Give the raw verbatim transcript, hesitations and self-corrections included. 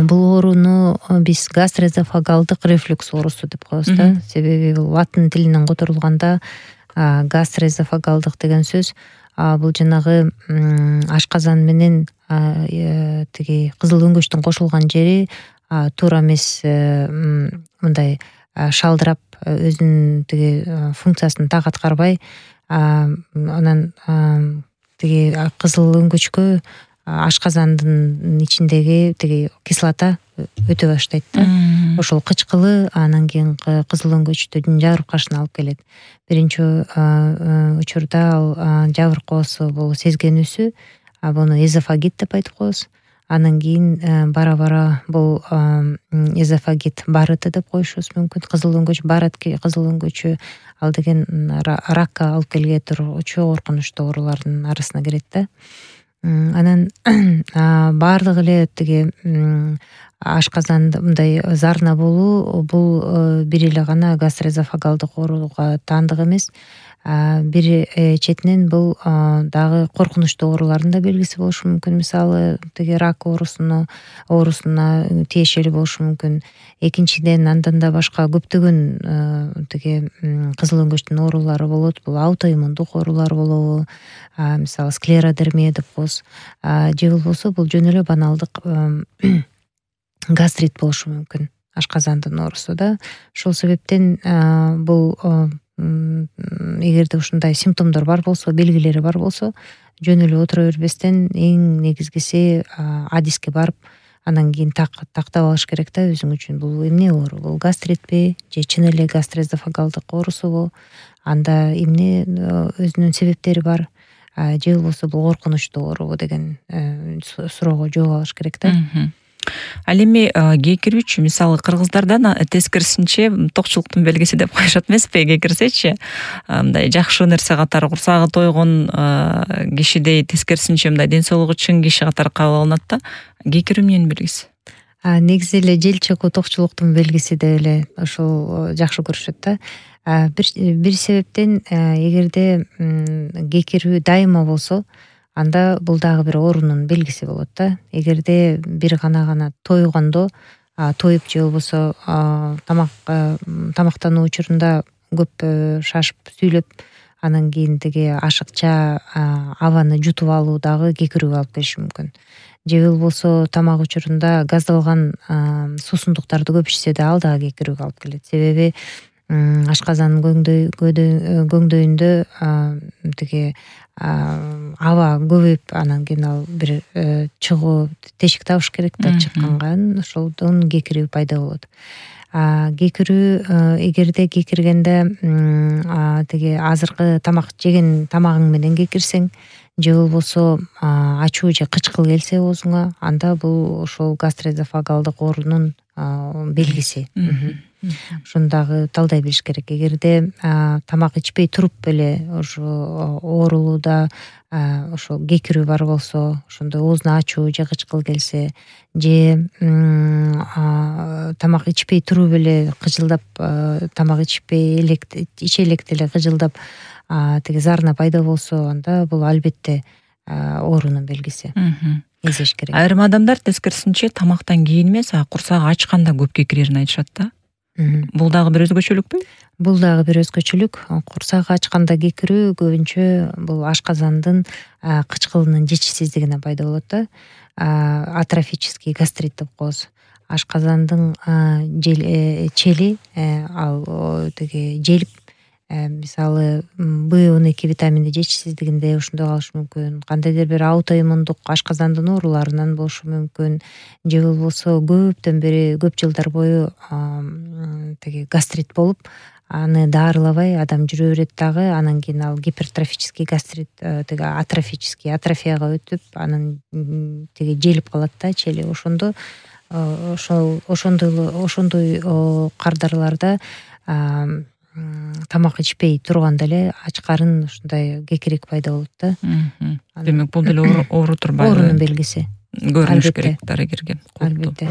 бул ооруну биз гастроэзофагалдык рефлюкс оорусу деп коебуз да. Себеби бул латын тилинен которулганда гастроэзофагалдык деген сөз бул жанагы ашказан менен тиги кызыл өңгөчтүн кошулган жери туура эмес мындай шалдырап өзүнүн тиги функциясын так аткарбай анан тиги кызыл өңгөчкө ашказандын ичиндеги тиги кислота өтө баштайт да. Ошол кычкылы анан кийин кызыл өңгөчтүн жабыркашына алып келет. Биринчи учурда ал жабыркоосу бул сезгенүүсү, буну эзофагит деп айтып коебуз. Анан кийин бара бара бул эзофагит барыты деп коюшубуз мүмкүн. Кызыл өңгөч барыт, кызыл өңгөчү ал деген ракка алып келе тургучу коркунучтуу оорулардын арасына кирет да. Анан баардык эле тиги ашказанда мындай зарна болуу бул бир эле гана гастроэзофагалдык ооруга таандык эмес. Бир четинен бул дагы коркунучтуу оорулардын да белгиси болушу мүмкүн. Мисалы тиги рак оорусуна оорусуна тиешелүү болушу мүмкүн. Экинчиден андан да башка көптөгөн тиги кызыл өңгөчтүн оорулары болот. Бул аутоиммундук оорулар болобу, мисалы склеродермия деп коебуз. Же болбосо бул жөн эле баналдык гастрит болушу мүмкүн. Ашказандын оорусу да. Ошол себептен бул эгерде ушундай симптомдор бар болсо, белгилери бар болсо, жөн эле отура бербестен эң негизгиси адиске барып, анан кийин тактап алыш керек да өзүң үчүн. Бул эмне оору? Бул гастритпи же чын эле гастроэзофагалдык оорусубу? Анда эмне өзүнүн себептери бар? Же болбосо бул коркунучтуу оорубу деген суроого жооп алыш керек да. Ал эми кекирүүчү мисалы кыргыздардан тескерисинче токчулуктун белгиси деп коюшат эмеспи? Кекирсечи мындай жакшы нерсе катары курсагы тойгон кишидей тескерисинче мындай ден соолугу чың киши катары кабыл алынат да. Кекирүү эмненин белгиси? Негизи эле жел чыгуу токчулуктун белгиси деп эле ошол жакшы көрүшөт да. Бир себептен эгерде кекирүү дайыма болсо, анда бул дагы бир оорунун белгиси болот да. Эгерде бир гана гана тойгондо, тоюп же болбосо тамак тамактануу учурунда көп шашып сүйлөп, анан кийин тиги ашыкча абаны жутуп алуу дагы кекирүүгө алып келиши мүмкүн. Же болбосо тамак учурунда газдалган суусундуктарды көп ичсе да ал дагы кекирүүгө алып келет. Себеби ашказандын көңдөйүндө тиги аба көбөйүп, анан кийин ал бир чыгуу тешик табыш керек да, чыкканга ошолдон кекирүү пайда болот. Кекирүү эгерде кекиргенде тиги азыркы тамак жеген тамагың менен кекирсең, же болбосо ачуу же кычкыл келсе оозуңа, анда бул ошол гастроэзофагалдык оорунун белгиси. Ошону дагы талдай билиш керек. Эгерде тамак ичпей туруп эле ошо оорулууда ошо кекирүү бар болсо, ошондо оозуна ачуу же кычкыл келсе, же тамак ичпей туруп эле кыжылдап, тамак ичпей элек иче электе эле кыжылдап тиги зарна пайда болсо, анда бул албетте оорунун белгиси. Эзеш керек. Айрым адамдар тескерисинче тамактан кийин эмес, курсагы ачканда көп кекирерин айтышат да. Бул дагы бир өзгөчөлүкпү? Бул дагы бир өзгөчөлүк. Курсагы ачканда кекирүү көбүнчө бул ашказандын кычкылынын жетишсиздигине пайда болот да. Атрофический гастрит деп коебуз. Ашказандын чели ал тиги желип, мисалы бэ он эки витамини жетишсиздигинде ошондой калышы мүмкүн. Кандайдыр бир аутоиммундук ашказандын ооруларынан болушу мүмкүн. Же болбосо көптөн бери көп жылдар бою тиги гастрит болуп, аны даарылабай адам жүрө берет дагы, анан кийин ал гипертрофический гастрит, тиги атрофический атрофияга өтүп, анан тиги желип калат да чели. Ошондо ошол ошондой ошондой кардарларда тамак ичпей турганда эле ачкарын ушундай кекирик пайда болот да. Демек бул деле оору турбайбы? Оорунун белгиси. Көрүнүш керек дарыгерге. Албетте.